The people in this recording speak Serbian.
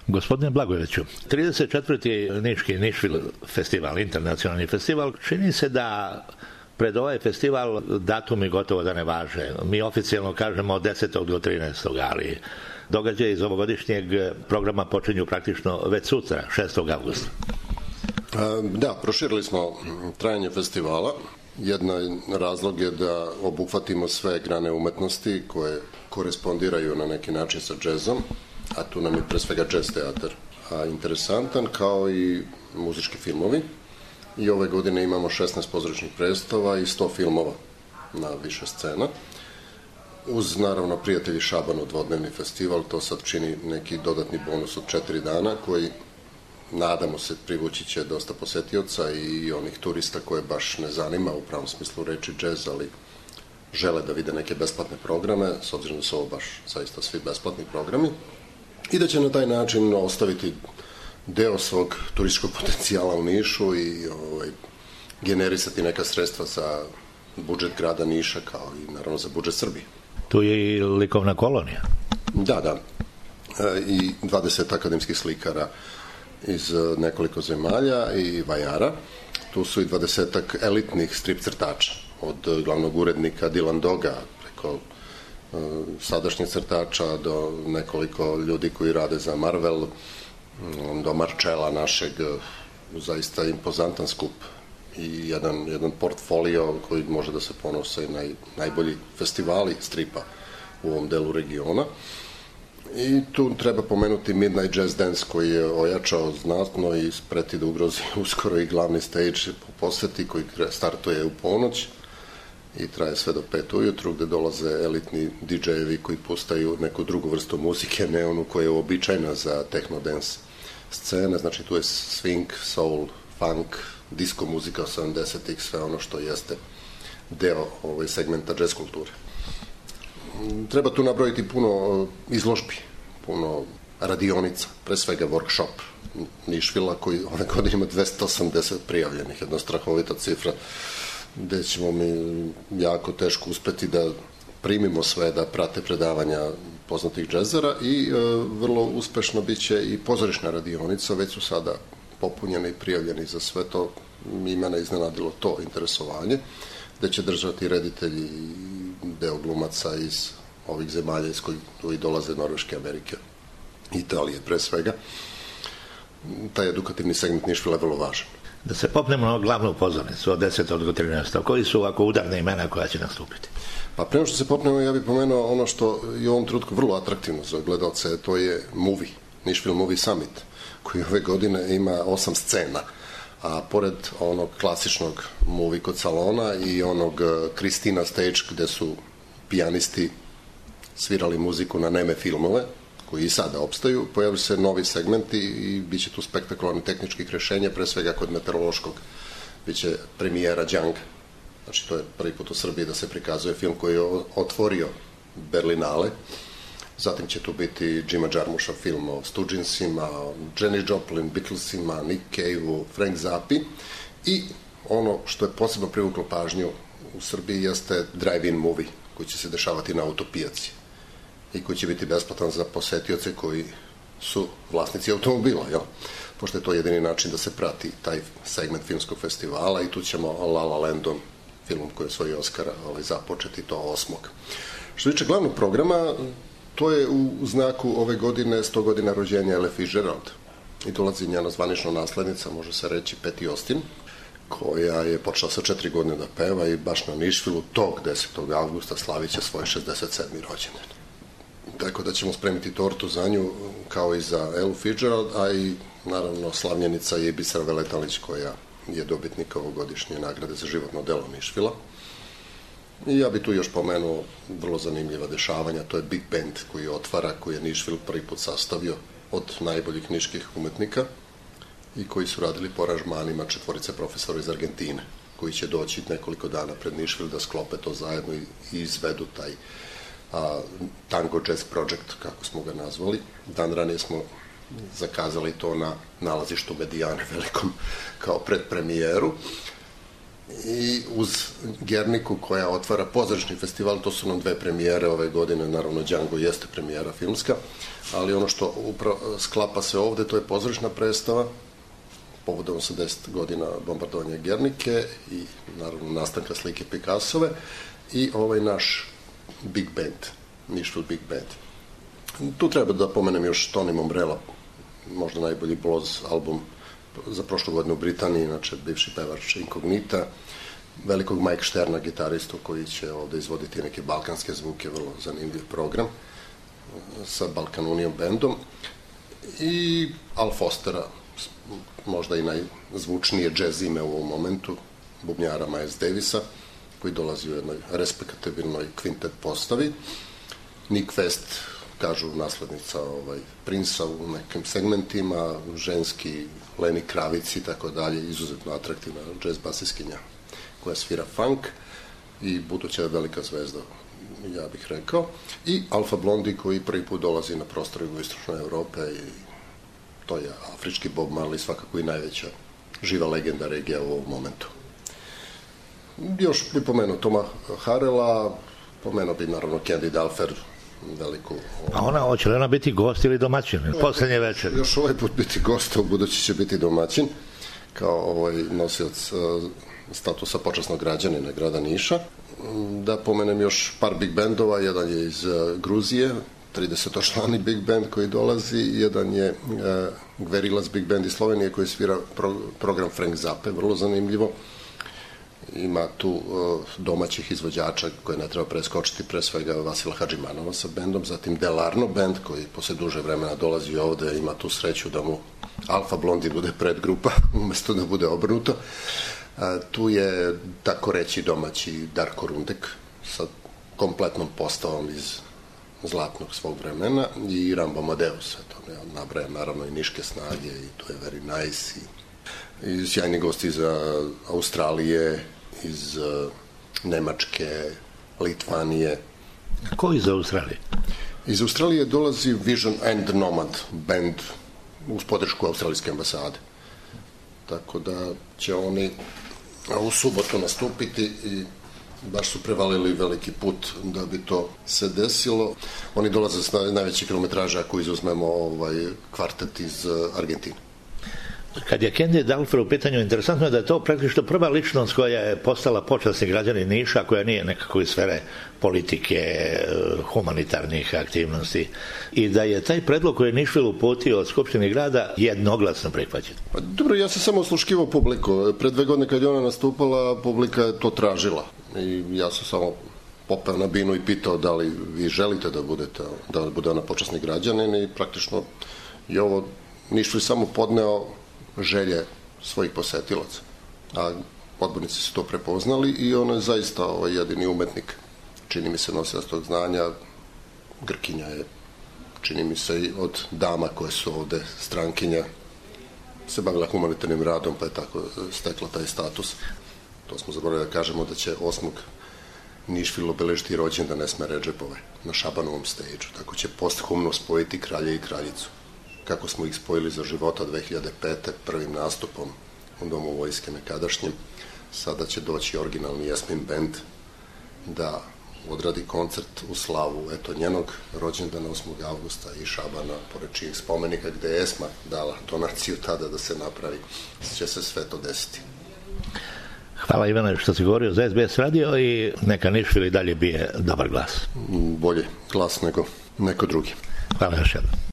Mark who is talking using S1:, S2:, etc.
S1: Gospodine Blagojeviću, 34. Niški Nišvil festival, internacionalni festival, čini se da pred ovaj festival datumi gotovo da ne važe. Mi oficijalno kažemo od 10. do 13. ali događaje iz ovogodišnjeg programa počinju praktično već sutra, 6. avgusta.
S2: Da, proširili smo trajanje festivala. Jedan razlog je da obuhvatimo sve grane umetnosti koje korespondiraju na neki način sa džezom, a tu nam je pre svega džez teatar interesantan, kao i muzički filmovi. I ove godine imamo 16 pozorišnih predstava i 100 filmova na više scena. Uz, naravno, Prijatelji Šabanu dvodnevni festival, to sad čini neki dodatni bonus od 4 dana, koji, nadamo se, privući će dosta posetioca i onih turista koje baš ne zanima u pravom smislu reči džez, ali žele da vide neke besplatne programe, s obzirom da su ovo baš zaista svi besplatni programi, i da će na taj način ostaviti deo svog turističkog potencijala u Nišu i generisati neka sredstva za budžet grada Niša, kao i naravno za budžet Srbije.
S1: Tu je i likovna kolonija.
S2: Da. I 20 akademskih slikara iz nekoliko zemalja i vajara. Tu su i 20-ak elitnih strip crtača, od glavnog urednika Dylan Doga, preko sadašnjih crtača do nekoliko ljudi koji rade za Marvel, do Marčela našeg, zaista impozantan skup i jedan portfolio koji može da se ponose i najbolji festivali stripa u ovom delu regiona. I tu treba pomenuti Midnight Jazz Dance, koji je ojačao znatno i spreti da ugrozi uskoro i glavni stage po poseti, koji startuje u ponoć i traje sve do 5 ujutru, gde dolaze elitni DJ-evi koji pustaju neku drugu vrstu muzike, ne onu koja je uobičajna za techno-dance scene. Znači tu je swing, soul, funk, disco muzika 70-ih, sve ono što jeste deo segmenta jazz kulture. Treba tu nabrojiti puno izložbi, puno radionica, pre svega workshop Nišvila, koji ove godine ima 280 prijavljenih, jedna strahovita cifra, gde ćemo mi jako teško uspeti da primimo sve, da prate predavanja poznatih džezera, i vrlo uspešno biće i pozorišna radionica, već su sada popunjeni i prijavljeni za sve to. I mene iznenadilo to interesovanje, gde će držati reditelji i deo glumaca iz ovih zemalja iz kojih dolaze Norveške, Amerike, Italije pre svega. Taj edukativni segment Nišvila je vrlo važan.
S1: Da se popnemo na glavnu pozornicu od 10. do 13. Koji su ovako udarne imena koja će nastupiti?
S2: Pa prema što se popnemo, ja bih pomenuo ono što je u ovom trenutku vrlo atraktivno za gledalce, to je movie, Nišvil Movie Summit, koji ove godine ima 8 scena, a pored onog klasičnog movie kod salona i onog Kristina Stage, gde su pijanisti svirali muziku na neme filmove, koji i sada opstaju, pojavili se novi segmenti i bit će tu spektakularni tehničkih rešenja, pre svega kod meteorološkog bit će premijera Djanga. Znači, to je prvi put u Srbiji da se prikazuje film koji je otvorio Berlinale. Zatim će tu biti Jima Jarmusha film o Stoogesima, Jenny Joplin, Beatlesima, Nick Cave-u, Frank Zappi. I ono što je posebno privuklo pažnju u Srbiji jeste drive-in movie, koji će se dešavati na autopijaci i koji će biti besplatan za posetioce koji su vlasnici automobila, jel? Pošto je to jedini način da se prati taj segment filmskog festivala, i tu ćemo La La Landom, filmom koji je osvojio Oscara, započeti to 8. Što tiče glavnog programa, to je u znaku ove godine 100 godina rođenja Ella Fitzgerald, i dolazi njena zvanična naslednica, može se reći Patti Austin, koja je počela sa 4 godine da peva i baš na Nišvilu tog 10. avgusta slavit će svoj 67. rođendan. Tako da ćemo spremiti tortu za nju, kao i za Ellu Fitzgerald, a i naravno slavljenica je Bisera Veletalić, koja je dobitnik ovogodišnje nagrade za životno delo Nišvila. I ja bih tu još pomenuo vrlo zanimljiva dešavanja, to je Big Band koji otvara, koji je Nišvil prvi put sastavio od najboljih niških umetnika i koji su radili po aranžmanima 4 profesora iz Argentine, koji će doći nekoliko dana pred Nišvil da sklope to zajedno i izvedu taj Tango Jazz Project, kako smo ga nazvali. Dan ranije smo zakazali to na nalazištu Medijane velikom kao predpremijeru. i uz Gerniku koja otvara pozorišni festival, to su nam 2 premijere ove godine, naravno Django jeste premijera filmska, ali ono što upravo sklapa se ovde, to je pozorišna predstava povodom 80 godina bombardovanja Gernike i naravno nastanka slike Picassove i ovaj naš Big Band, Nišvil Big Band. Tu treba da pomenem još Tony Mombrella, možda najbolji blues album za prošlu godinu u Britaniji, inače bivši pevač Inkognita, velikog Mike Šterna, gitaristu koji će ovde izvoditi neke balkanske zvuke, vrlo zanimljiv program sa Balkan Union bandom, i Al Fostera, možda i najzvučnije jazz ime u ovom momentu, bubnjara Miles Davisa, koji dolazi u jednoj respektabilnoj kvintet postavi. Nick West, kažu naslednica Princa u nekim segmentima, ženski Lenny Kravitz i tako dalje, izuzetno atraktivna jazz basiskinja koja svira funk i buduća je velika zvezda, ja bih rekao. I Alfa Blondy koji prvi put dolazi na prostor jugoistočne Evrope i to je afrički Bob Marley, svakako i najveća živa legenda regija u ovom momentu. Još bi pomenuo Toma Harrella, pomenuo bi naravno Candy Dulfer, veliku...
S1: A hoće li ona biti gost ili domaćin? Poslednje večer.
S2: Još ovaj put biti gost, u budući će biti domaćin, kao nosioc statusa počasnog građanina grada Niša. Da pomenem još par big bandova, jedan je iz Gruzije, 30-člani big band koji dolazi, jedan je Gverilas big band iz Slovenije koji svira program Frank Zappa, vrlo zanimljivo. Ima tu domaćih izvođača koje ne treba preskočiti, pre svega Vasila Hadžimanova sa bendom, zatim Delarno band koji posle duže vremena dolazi ovde, ima tu sreću da mu Alfa Blondy bude predgrupa umesto da bude obrnuto. Tu je, tako reći, domaći Darko Rundek sa kompletnom postavom iz zlatnog svog vremena i Rambo Amadeus, nabrajam naravno i Niške snage i to je Very Nice i sjajni gosti iz Australije, iz Nemačke, Litvanije.
S1: Ko iz Australije?
S2: Iz Australije dolazi Vision and Nomad band uz podršku australijske ambasade. Tako da će oni u subotu nastupiti i baš su prevalili veliki put da bi to se desilo. Oni dolaze s najveće kilometraže ako izuzmemo kvartet iz Argentine.
S1: Kad je Candy Dulfer u pitanju, interesantno je da je to praktično prva ličnost koja je postala počasni građanin Niša, koja nije nekako iz sfere politike, humanitarnih aktivnosti, i da je taj predlog koji je Nišvil uputio od Skupštine grada jednoglasno prihvaćen.
S2: Dobro, ja sam samo osluškivao publiku. Pre 2 godine kad je ona nastupala, publika je to tražila. I ja sam samo popeo na binu i pitao da li vi želite da bude ona počasni građanin i praktično je ovo Nišvil samo podneo želje svojih posetilaca. A odbornici su to prepoznali i ono je zaista jedini umetnik, čini mi se, nosilac tog znanja. Grkinja je, čini mi se, i od dama koje su ovde strankinja se bavila humanitarnim radom, pa je tako stekla taj status. To smo zaboravili da kažemo da će 8. Nišvil obeležiti rođendan Esme Redžepove na Šabanovom stage-u. Tako će posthumno spojiti kralja i kraljicu. Kako smo ih spojili za života 2005. prvim nastupom u Domu vojske nekadašnjem, sada će doći originalni Jasmin band da odradi koncert u slavu njenog rođendana 8. avgusta i Šabana, pored čijih spomenika gde je Esma dala donaciju tada da se napravi, će se sve to desiti.
S1: Hvala Ivane što si govorio za SBS radio i neka Nišvil i dalje bije dobar glas.
S2: Bolje glas nego neko drugi.
S1: Hvala još jednom.